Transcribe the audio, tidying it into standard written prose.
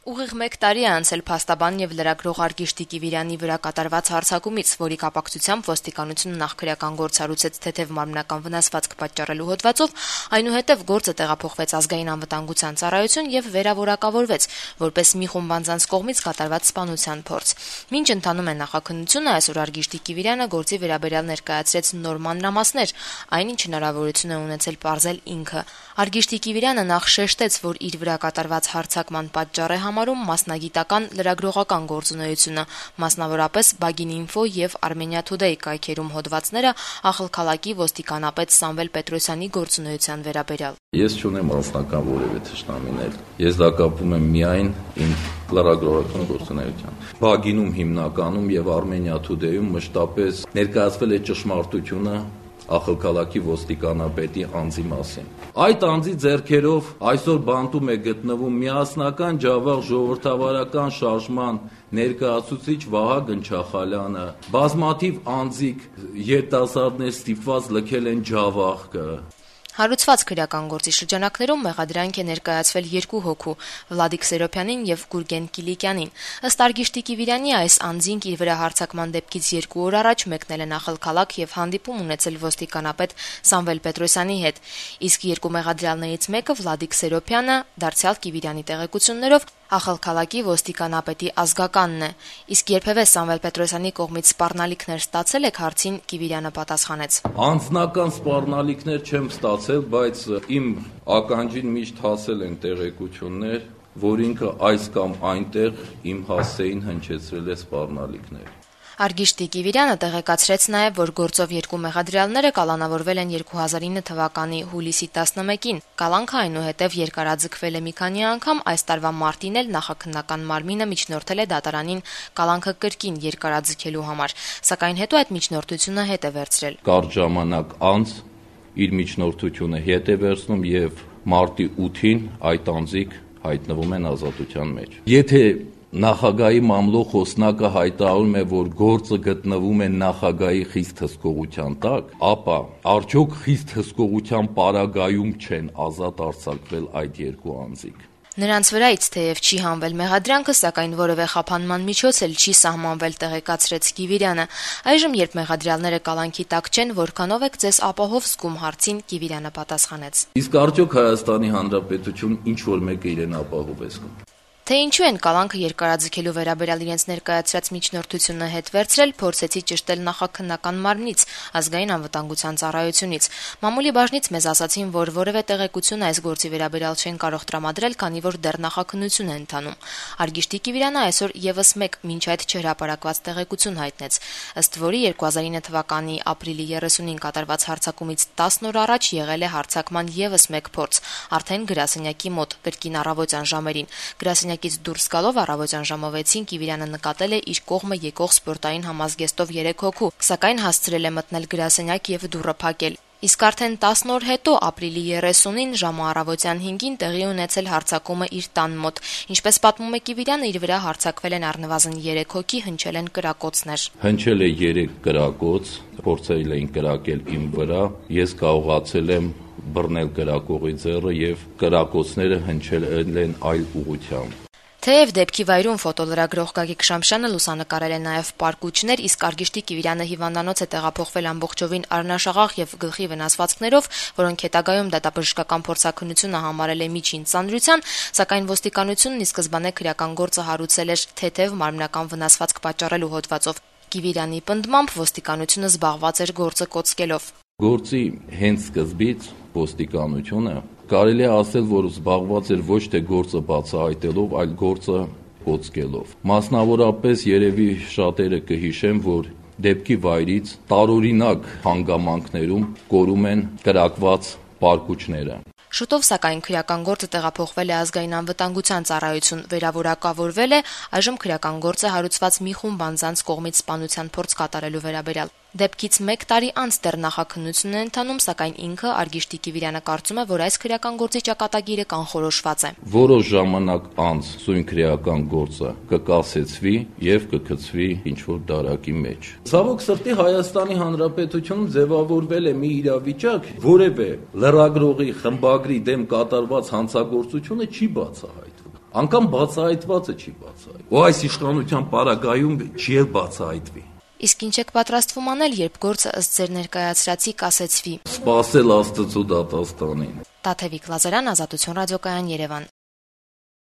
Ուղիղ 1 տարի է անցել փաստաբան եւ լրագրող Արգիշտի Կիվիրյանի վրա կատարված հարձակումից, որի կապակցությամբ ոստիկանությունը նախ քրեական գործ հարուցեց թեթև մարմնական վնասվածք պատճառելու հոդվածով, այնուհետև գործը տեղափոխվեց Ազգային անվտանգության ծառայություն եւ վերավորակավորվեց, որպես մի խումբ անձանց կողմից կատարված սպանության փորձ։ Մինչ ընթանում է նախաքննությունը, այսօր Արգիշտի Կիվիրյանը գործի վերաբերյալ ներկայացրեց նոր մանրամասներ, այնինչ հնարավորություն է ունեցել պարզել ինքը։ Արգիշտի Կիվիրյանը նախ շեշտեց, որ իր վրա կատարված հարձակման պատճառ է համարում մասնագիտական լրագրողական գործունեությունը, մասնավորապես Բագին-Ինֆո եւ Armenia Today կայքերում հոդվածները աղլքալակի ոստիկանապետ Սամվել Պետրոսյանի գործունեության վերաբերյալ։ Ես չունեմ անձնական որևէ թշնամիներ։ Ես դա կապում եմ միայն իմ լրագրողական գործունեությամբ։ Բագինում հիմնականում եւ Armenia Today-ում մշտապես ներկայացվել է ճշմարտությունը աղլքալակի ոստիկանապետի անձի մասին։ Այդ անձի ձեռքերով այսօր բանտում է գտնվում միասնական ջավախ ժողովրդավարական շարժման ներկայացուցիչ Վահագն Չախալյանը, բազմաթիվ անձիկ երիտասարդներ ստիպված լքել են ջավախը։ Հարուցված քրեական գործի շրջանակներում մեղադրանք է ներկայացվել 2 հոգու՝ Վլադիկ Սերոփյանին եւ Գուրգեն Կիլիկյանին։ Ըստ Արգիշտի Կիվիրյանի, այս անձինք իր վրա հարձակման դեպքից 2 օր առաջ մեկնել են աղլքալակ եւ հանդիպում ունեցել ոստիկանապետ Սամվել Պետրոսյանի հետ։ Իսկ 2 մեղադրյալներից մեկը Վլադիկ Սերոփյանը, դարձյալ Կիվիրյանի տեղեկություններով, աղլքալակի ոստիկանապետի ազգականն է։ Իսկ երբևէ Սամվել Պետրոսյանի կողմից սպառնալիքներ ստացել եք, հարցին Կիվիրյանը պատասխանեց. Անձնական սպառնալիքներ չեմ ստացել, բայց իմ ականջին միշտ հասել են տեղեկություններ, որ ինքը այս կամ այնտեղ իմ հասցեին հնչեցրել է սպառնալիքներ։ Արգիշտի Կիվիրյանը տեղեկացրեց նաև, որ գործով 2 մեղադրյալները կալանավորվել են 2009 թվականի հուլիսի 11-ին։ Կալանքը այնուհետև երկարաձգվել է մի քանի անգամ, այս տարվա մարտին էլ նախաքննական մարմինը միջնորդել է դատարանին կալանքը կրկին երկարաձգելու համար, սակայն հետո այդ միջնորդությունը հետ է վերցրել։ Կարճ ժամանակ անց իր միջնորդությունը հետ է վերցնում եւ մարտի 8-ին այդ անձիկ հայտնվում են ազատության մեջ։ Եթե Նախագահի մամլոյ խոսնակը հայտարարում է, որ գործը գտնվում է նախագահի խիստ հսկողության տակ, ապա արդյոք խիստ հսկողության պարագայում չեն ազատ արձակվել այդ 2 անձիկ։ Նրանց վրայից թեև չի հանվել մեղադրանքը, սակայն որևէ խափանման միջոց էլ չի սահմանվել, տեղեկացրեց Կիվիրյանը։ Այժմ, երբ մեղադրյալները կալանքի տակ չեն, որքանով եք ձեզ ապահով զգում, հարցին Կիվիրյանը պատասխանեց. Իսկ արդյոք Հայաստանի Հանրապետություն ինչ որ մեկը իրեն ապահով է զգում։ Թե ինչու են կալանքը երկարաձգելու վերաբերյալ իրենց ներկայացրած միջնորդությունը հետ վերցրել, փորձեցի ճշտել նախաքննական մարմնից, Ազգային անվտանգության ծառայությունից։ Մամուլի բաժնից մեզ ասացին, որ որևէ տեղեկություն այս գործի վերաբերյալ չեն կարող տրամադրել, քանի որ դեռ նախաքննություն է ընթանում։ Արգիշտի Կիվիրյանը այսօր եւս մեկ մինչ այդ չհրապարակված տեղեկություն հայտնեց, ըստ որի 2009 թվականի ապրիլի 30-ին կատարված հարձակումից 10 օր առաջ եղել է հարձակման եւս մեկ փորձ, արդեն գրասենյակի մոտ, կրկին առավոտյան ժամերին։ Գրասենյակից դուրս գալով առավոտյան ժամը 6-ին Կիվիրյանը նկատել է իր կողմը եկող սպորտային համազգեստով 3 հոգու, սակայն հասցրել է մտնել գրասենյակ եւ դուռը փակել։ Իսկ արդեն 10 օր հետո, ապրիլի 30-ին ժամը առավոտյան 5-ին տեղի ունեցել հարձակումը իր տան մոտ։ Ինչպես պատմում է Կիվիրյանը, իր վրա հարձակվել են առնվազն 3 հոգի, հնչել են կրակոցներ։ Հնչել է 3 կրակոց, փորձել էին կրակել իմ վրա, ես կարողացել եմ բռնել կրակողի ձեռը եւ կրակոցները հնչել են այլ ուղղությամբ։ Թեև դեպքի վայրում ֆոտոլրագրող Գագիկ Շամշյանը լուսանկարել է նաև պարկուճներ, իսկ Արգիշտի Կիվիրյանը հիվանդանոց է տեղափոխվել ամբողջովին առնաշաղախ եւ գլխի վնասվածքներով, որոնք հետագայում դատաբժշկական փորձաքննությունը համարել է միջին ծանրության, սակայն ոստիկանությունն ի սկզբանե քրեական գործը հարուցել էր թեթև մարմնական վնասվածք պատճառելու հոդվածով։ Կիվիրյանի պնդմամբ ոստիկանությունը զբաղված էր գործը կոծկելով։ Գործի հենց սկզբից ոստիկանությունը կարելի է ասել, որ զբաղված էր ոչ թե գործը բացահայտելով, այլ գործը կոծկելով։ Մասնավորապես երևի շատերը կհիշեն, որ դեպքի վայրից տարօրինակ հանգամանքներում կորում են կրակված պարկուճները։ Շուտով, սակայն, քրեական գործը տեղափոխվել է Ազգային անվտանգության ծառայություն, վերավորակավորվել է, այժմ քրեական գործը հարուցված մի խումբ անձանց կողմից սպանության փորձ կատարելու վերաբերյալ։ Դեպքից 1 տարի անց դեռ նախաքննություն է ընթանում, սակայն ինքը Արգիշտի Կիվիրյանը կարծում է, որ այս քրեական գործի ճակատագիրը կանխորոշված է։ Որոշ ժամանակ անց սույն քրեական գործը կկասեցվի եւ կգցվի ինչ-որ դարակի մեջ։ Ցավոք սրտի Հայաստանի Հանրապետությունում ձևավորվել է մի իրավիճակ, որևէ լրագրողի խմբագրի դեմ կատարված հանցագործությունը չի բացահայտվում։ Անկամ բացահայտվածը չի բացահայտ։ Ու այս իշխանության պարագայում չի էլ բացահայտվի։ Իսկ ինչ եք պատրաստվում անել, երբ գործը ըստ ձեր ներկայացրածի կասեցվի։ Սպասել Աստծո դատաստանին։ Տաթևիկ Լազարյան, Ազատություն ռադիոկայան, Երևան։